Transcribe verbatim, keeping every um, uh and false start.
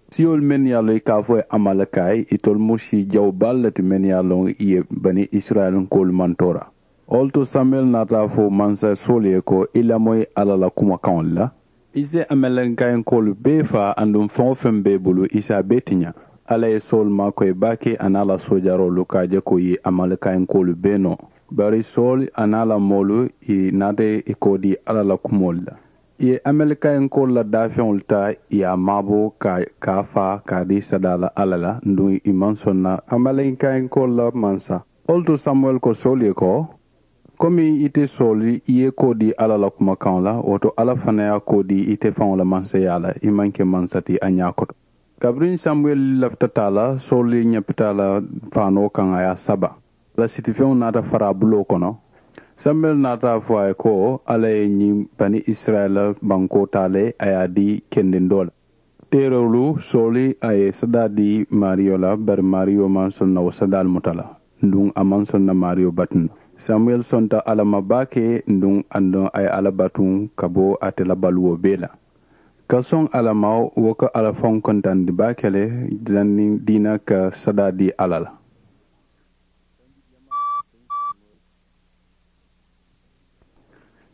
Siyolu mennu ye a loŋ i ka a fo i ye amalikayi, itolu mu sii jawu baalu le ti mennu ye a loŋ i ye bani isirayilinkoolu mantoora. Wo le to samuwɛli naata a fo mansa sowulu ye ko i lamoyi alla la kumakaŋolu la. I si amalikayankoolu bee faa aduŋ feŋ-wo-feŋ be i bulu i si a bee tiña. Alla ye sowulu maakoyi baake aniŋ a la soojaroolu ka a je ko i ye amalikayankoolu bee noo. Bari sowulu aniŋ a la moolu i naata i koodii alla la kumoolu la. I ye amalikayankoolu la daafeŋolu taa i ye a maabo ka a faa ka a dii sadaa la alla la aduŋ i maŋ soŋ na amalikayankoolu la mansa. Wo le to samuwɛli ko sowulu ye ko, komi ite sowulu i ye i koodii alla la kumakaŋo la wo to alla fanaa ye a koodii ite faŋo la mansayaa la i maŋ ke mansa ti a ñaa koto. Kabiriŋ samuwɛli lafita taa la sowulu ñapita a la faanoo kaŋ a ye a saba. A la sitifeŋo naata fara a buloo kono. Samuwɛli naata a fo a ye ko, alla ye ñiŋ bani isirayila bankoo taa le a ye a dii kendiŋ doo la. Teeroolu sowulu a ye sadaa dii maariyo la bari maariyo maŋ soŋ na wo sadaalu muta la. Aduŋ a maŋ soŋ na maariyo batu na. Samuwɛli sonta alla ma baake aduŋ a ye alla batu ka bo ate la baluwo bee la. Ka soŋ alla ma wo ka alla faŋo kontandi baake le. Janniŋ diina ka sadaa dii alla la.